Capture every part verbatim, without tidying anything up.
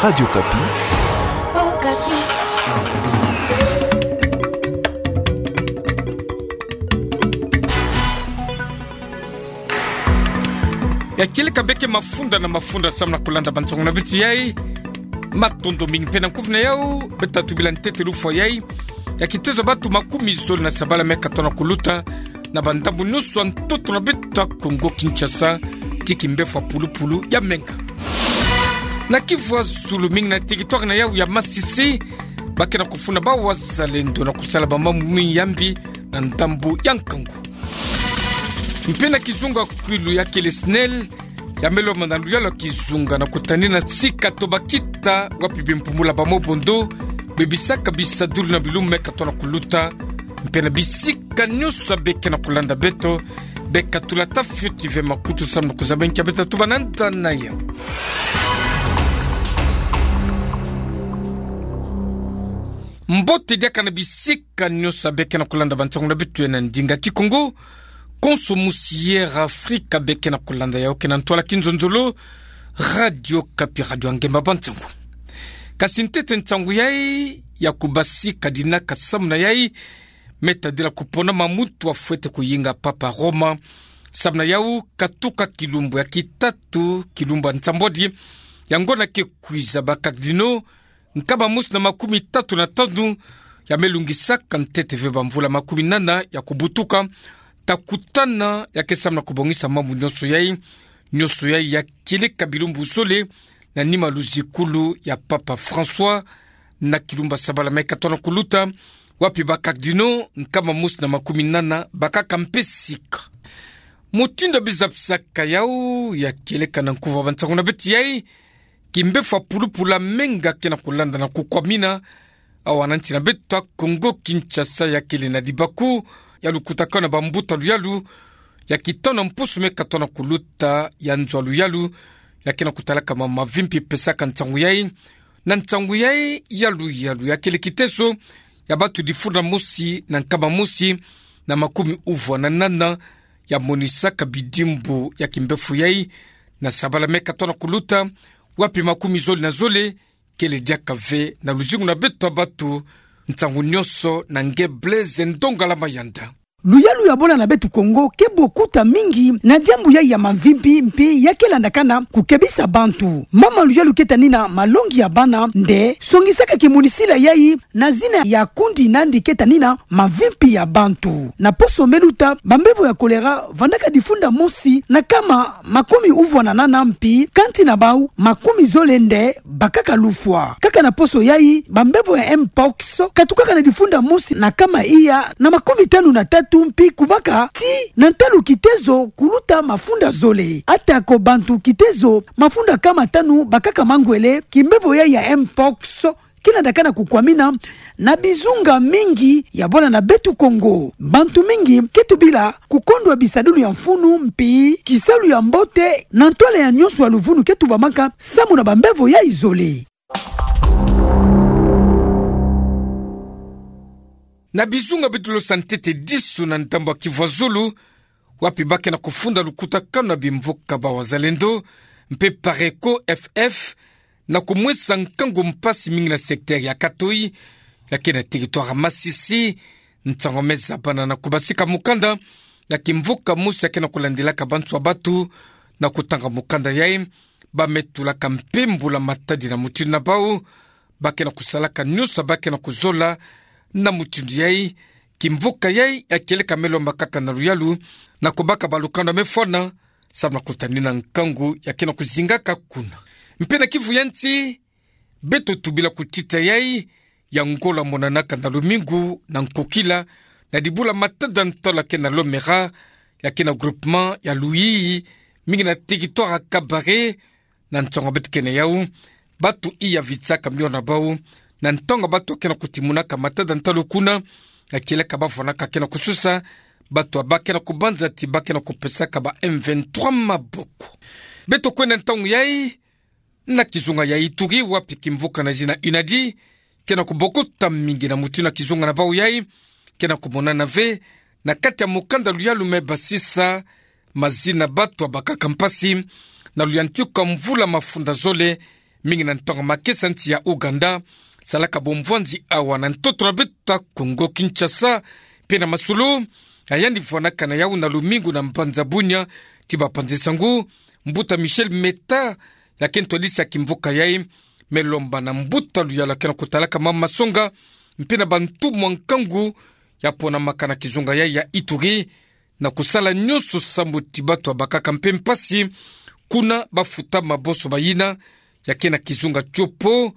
Radio Okapi. Ya kieleka beke mafunda na mafunda samu na kulanda bansango na beto yai. Matondo mingi mpe na nkufi na yau, beto ta tubila ntete lufwa yai ya kitezo ya batu makumi zole na sabala mia katona kuluta na bandambu nionso ya ntoto na beto ya Kongo Kinshasa, ti kimbefo ya pulupulu ya menga. Na Kivu ya zulu, mingi na territoire na yau ya Masisi, ba ke na kufuna bawazalendo na kusala bamambu mingi ya mbi na ndambu ya nkangu. Mpe na kizunga kwilu ya kele SNEL, ya me lomba na luyalu ya kizunga na kutanina sika to bakita wapi bimpumbulu ya bamobondo bebisaka bisadulu na bilumbu mia katona kuluta, mpe na bisika nionso ya beke na kulanda beto, beka tula ta fioti ve makutu samu na kuzaba nki ya beto ta tuba na nda na yau. Mbote diaka na bisika nionso ya beke na kulanda bansango na beto yai na ndinga Kikongo. Konso musi Air Africa beke na kulanda yau ke na ntwala kinzonzolo, Radio Okapi, radio ya ngemba bansango. Kasi ntete nsangu yai ya kubasika dinaka samu na yai, me tadila kupona ma muntu afwete kuyinga Papa Roma. Samu na yau, katuka kilumbu ya kitatu, kilumbu ya nsambwadi ya ngonda ke kwiza, ba cardinaux nkama mosi na makumi tatu na tanu ya me lungisaka ntete ve bamvula makumi nana ya kubutuka, ta kutana ya ke samu na kubongisa mambu nionso yai. Nionso yai ya kieleka bilumbu zole na nima luzikulu ya Papa François, na kilumbu ya sabala mia katona kuluta, wapi ba cardinaux nkama mosi na makumi nana bakaka mpe sika. Mutindu ya bizapisaka yau ya kieleka na nkufi ya bansango na beto yai, kimbefo ya pulupulu ya menga ke na kulanda na kukwamina awa na nsi na beto ya Kongo Kinshasa, ya kele na libaku ya lukutakanu na bambuta luyalu ya kitanu na mpusu mia katona kuluta ya nzo ya luyalu ya ke na kutalaka ma mavimpi pesaka nsangu yai. Na nsangu yai ya luyalu ya kele kitezo ya batu difunda mosi na nkama mosi na makumi uvwa na nana ya monisaka bidimbu ya kimbefo yai na sabala mia katona kuluta, wapi makumi zole na zole kele diaka ve na luzingu na beto ya batu. Nsangu nionso na nge Blaise Ndongala Mayanda. Luyalu ya bwala na beto Kongo ke bokuta mingi na diambu yai ya mavimpi mpe ya ke landakana kukebisa bantu. Mama luyalu ke tanina malongi ya bana nde songisaka kimonisila yai na zina ya kundi nandi ke tanina mavimpi ya bantu. Na poso me luta, bambevo ya choléra vandaka difunda mosi na nkama makumi uvwa na nana mpi kansi na bau makumi zole nde bakaka lufwa. Kaka na poso yai, bambevo ya mpox katukaka na difunda mosi na nkama iya na makumi tanu na tatu mpi kubaka tii na ntalu kitezo kuluta mafunda zole. Atako bantu kitezo mafunda nkama tanu bakaka mangwele, kimbevo yai ya mpox ke landakana kukwamina na bizunga mingi ya bwala na beto Kongo. Bantu mingi ke tubila kukondwa bisadulu ya mfunu mpi kisalu ya mbote na ntwala ya nionso ya luvunu ke tubamaka samu na bambevo yai zole. Na bizunga beto losa ntete disu na ndambu ya Kivu ya zulu, wapi ba ke na kufunda lukutakanu na bimvuka bawazalendo mpe Pareco F F, na kumwesa nkangu mpasi mingi na secteur ya Katoyi, ya ke na territoire ya Masisi. Nsangu me zabana na kubasika mukanda ya kimvuka mosi ya ke na kulandilaka bantu ya batu na kutanga mukanda yai. Ba me tulaka mpe mbula matadi na mutindu na bau, ba ke na kusalaka nionso ba ke na kuzola. Na mutindu yai, kimvuka yai ya kieleka me lomba kaka na luyalu na kubaka balukanda me fwana samu na kutanina nkangu ya ke na kuzingaka kuna. Mpe na Kivu ya nsi, beto tubila kutita yai ya ngolo monanaka na lumingu na nkokila na dibula matadi ya ntwala ke na Lomera, ya ke na groupement ya Luyiyi, mingi na territoire ya Kabare. Na nsangu beto ke na yau, batu iya vitsaka miona bau na ntangu batu ke na kutimunaka matadi ya ntwala kuna, ya kieleka ba fwanaka ke na kususa, batu ba ke na kubanza ti ba ke na kupesaka ba M vingt-trois maboko. Beto kwenda ntangu yai na kizunga ya Ituri, wapi kimvuka na zina UNADI ke na kubokota mingi na mutindu na kizunga na bau yai ke na kumonana ve na kati ya mukanda luyalu me basisa mazina batu bakaka mpasi na luyantika mvula mafunda zole Mingi na ntangu makesa nsi ya Ouganda salaka bomvwanzi awa na ntoto na beto Kongo Kinshasa. Mpe na masolo, ya yandi vwanakana yau na lumingu na mbanza Bunia, ti bapanzi nsangu, mbuta Michel Meta, ya ke ntwadisi ya kimvuka yai, me lomba na mbuta Luyalu ya ke na kutalaka mama masonga, mpe na bantu mwa nkangu, ya ponamaka na kizunga yai ya Ituri, na kusala nyonso sambu ti bato ya bakaka mpe mpasi, kuna bafuta maboso bayina, ya ke na kizunga Tshopo.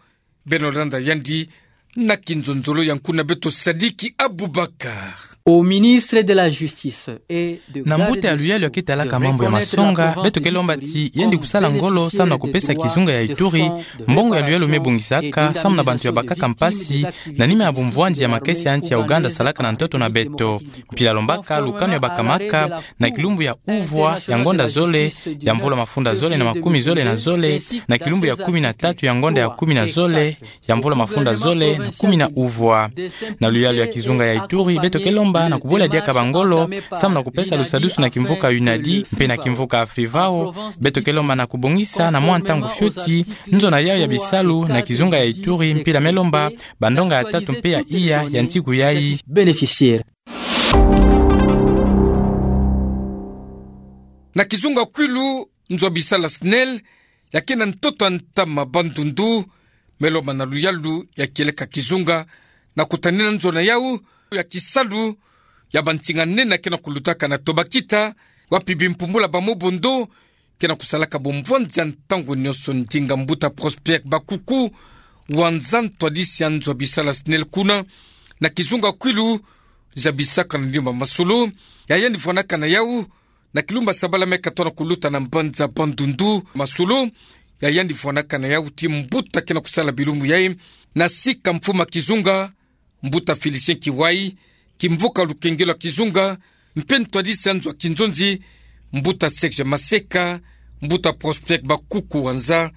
Beno landa yandi na kinzonzolo ya nkuna beto Sadiki Abubakar. Au ministre de la Justice et de Na mbuta ya Luyalu ya ke talaka mambu ya masonga, beto ke lomba ti yandi kusala ngolo samu na kupesa kizunga ya Ituri mbongo ya luyalu me bongisaka samu na bantu ya bakaka mpasi, na nima ya bomvwanzi ya makesa ya nsi ya Ouganda salaka na ntoto na beto. Mpila lombaka lukanu ya bakamaka na kilumbu ya uvwa ya ngonda zole ya mvula mafunda zole na makumi zole na zole, na kilumbu ya kumi na tatu ya ngonda ya kumi na zole ya mvula mafunda zole na kumi na uvwa. Na luyalu ya kizunga ya Ituri, beto ke lomba na kubola diaka bangolo samu na kupesa lusadusu na kimvuka UNADI mpe na kimvuka Afrivao. Beto ke lomba na kubongisa na mwa ntangu fioti nzona yau ya bisalu na kizunga ya Ituri, mpila me lomba bandonga ya tatu mpe ya iya ya nsiku yai. Bénéficiaire. Na kizunga Kwilu, nzo ya bisala SNEL ya ke na ntoto ya ntama Bandundu, me lomba na luyalu ya kieleka kizunga na kutanina nzona yau ya kisalu ya bansinga nene ya ke na kulutaka na Tobakita, wapi bimpumbula ba mobondo ke na kusalaka bomvwanzi ya ntangu nyonso. Ndinga mbuta Prosper Bakuku, wa nza ntwadisi ya nzo ya bisala SNEL kuna, na kizunga Kwilu, zabisaka na ndimba masolo ya yandi vwanakana yau na kilumbu ya sabala me katono kuluta na mbanza Bandundu. Masolo ya yandi vwanakana yau ti mbuta ke na kusala bilumbu yai na sika mfumu ya kizunga, mbuta Félicien Kiwai, kimvuka lukengelo ya kizunga, mpe ntwadisi ya nzo ya kinzonzi, mbuta Serge Maseka, mbuta Prosper Bakuku wa nza,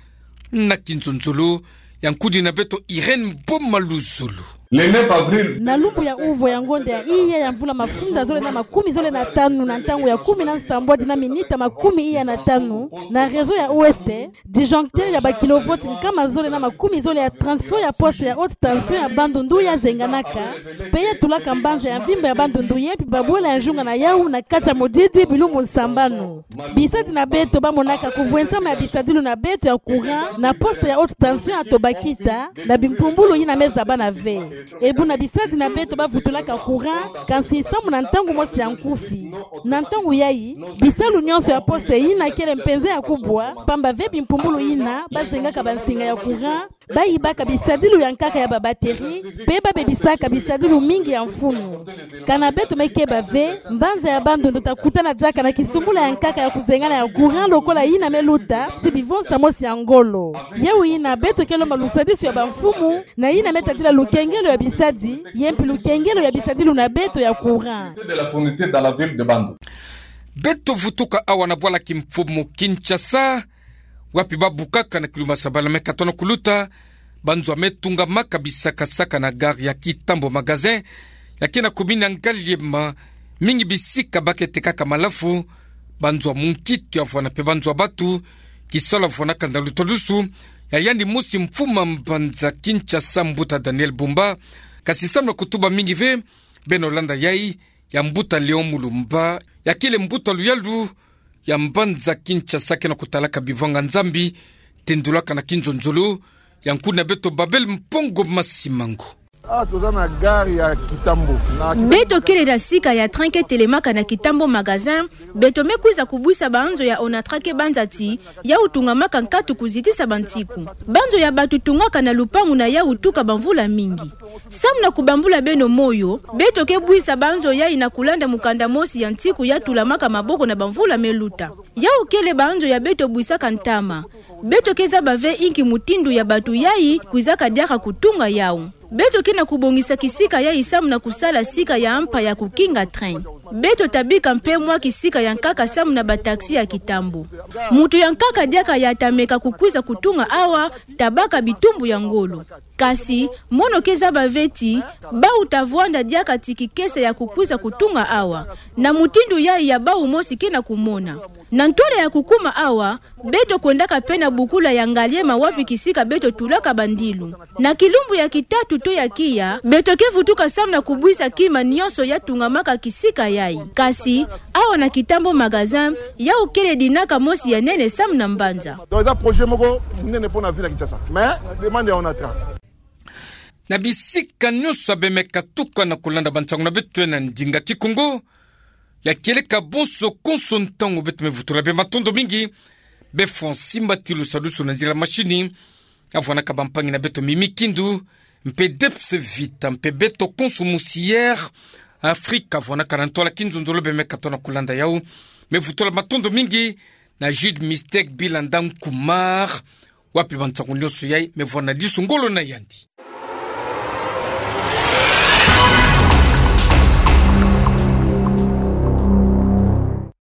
na kinzonzolo ya nkudi na beto Irène Boma Luzolo. Le neuf avril. Na lumbu ya uvwa ya ngonda ya iya ya mvula mafunda zole na makumi zole na tanu, na ntangu ya kumi na nsambwadi na minita makumi iya na tanu, na réseau ya Ouest, disjoncteur ya ba kilovolt nkama zole na makumi zole ya transfo ya poste ya haute tension ya Bandundu ya zenganaka, mpe ya tulaka mbanza ya mvimba ya Bandundu ye mpi babwela ya nzunga na yau na kati ya modidi bilumbu nsambanu. Bisadi na beto ba monaka kuvwensama ya bisadilu na beto ya courant na poste ya haute tension ya Tobakita, na bimpumbulu yina me zabana ve. E buna bisadi na beto ba vutulaka courant, kansi samu na ntangu mosi ya nkufi. Na ntangu yai, bisalu nyonso ya poste yina kele mpenza ya kubwa, pamba ve bimpumbulu yina ba zengaka bansinga ya courant, ba yibaka bisadilu ya nkaka ya ba batterie, mpe ba bebisaka bisadilu mingi ya mfunu. Kana beto me keba ve, mbanza ya Bandundu ta kutana diaka na kisumbula ya nkaka ya kuzengana ya courant lokola yina me luta, ti bivonsa mosi ya ngolo. Yau yina beto ke lomba lusadisu ya bamfumu, na yina me tadila lukengelo ya bisadi, ye mpi lukengelo ya bisadilu na beto ya courant. De la fourniture dans la ville de Bandundu. Beto vutuka awa na bwala kimfumu Kinshasa, wapi ba bukaka na kilumbu ya sabala me katono kuluta, banzo ya me tungamaka bisaka-saka na gare ya Kitambo Magasin, ya ke na commune ya Ngaliema, mingi bisika ba ke tekaka malafu, banzo ya munkito ya vwana mpe banzo ya batu, kisalu ya vwanaka na lutwadusu ya yandi mosi mfumu ya mbanza Kinshasa, mbuta Daniel Bumba, kasi samu na kutuba mingi ve, beno landa yai ya mbuta Léon Mulumba, ya kele mbuta luyalu ya mbanza Kinshasa ke na kutalaka bivanga Nzambi, tendulaka na kinzonzolo ya nkuna beto Babel Mpongo Masimango. Ah, toza na gare ya Kitambo. Na Kitambo. Beto kele na sika ya train ke telemaka na Kitambo Magasin, beto me kwiza kubwisa banzo ya Onatra ke banza ti yau tungamaka nkatu kuzitisa bansiku. Banzo ya batu tungaka na lupangu na yau tuka bamvula mingi. Samu na kubambula beno moyo, beto ke bwisa banzo yai na kulanda mukanda mosi ya nsiku ya tulamaka maboko na bamvula me luta. Yau kele banzo ya beto bwisaka ntama. Beto ke zaba ve inki mutindu ya batu yai kwizaka diaka kutunga yau. Beto ke na kubongisa kisika yai samu na kusala sika ya mpa ya kukinga train. Beto ta bika mpe mwa kisika ya nkaka samu na ba taxi ya Kitambo. Mutu ya nkaka diaka ya ta meka kukwiza kutunga awa, ta baka bitumbu ya ngolo. Kasi, mono ke zaba ve ti, bau ta vwanda diaka ti kikese ya kukwiza kutunga awa. Na mutindu yai ya bau mosi ke na kumona. Na ntwala ya kukuma awa, Beto kwendaka pe na bukula ya ngaliema wapi kisika beto tulaka bandilu. Na kilumbu ya kitatu to ya kiya, beto ke vutuka samu na kubwisa kima nionso ya tungamaka kisika yayi. Kasi, awa na Kitambo magasin, yawu kele dinaka mosi ya nene samu na mbanza. Donc, eza projet moko monene mpo na ville ya Kinshasa. Mais, demande ya Onatra. Na bisika nionso bemeka tuka na kulanda bansangu na beto na ndinga Kikongo, ya kieleka bonso konso ntangu beto me vutula bê matondo mingi, bê Francis Mbatilu Sadusu na nzila mashini, avwanaka bampangi na beto Mimi Kindu, mpe Debs Vita, mpe beto konso Musière Afrika, avwanaka na ntwala kinzonzolo, bemeka tona kulanda yawu, me vutula matondo mingi na Jude Mistake Bilanda Nkumar, wapi bansangu nionso yayi me vwa na disu ngolo na yandi.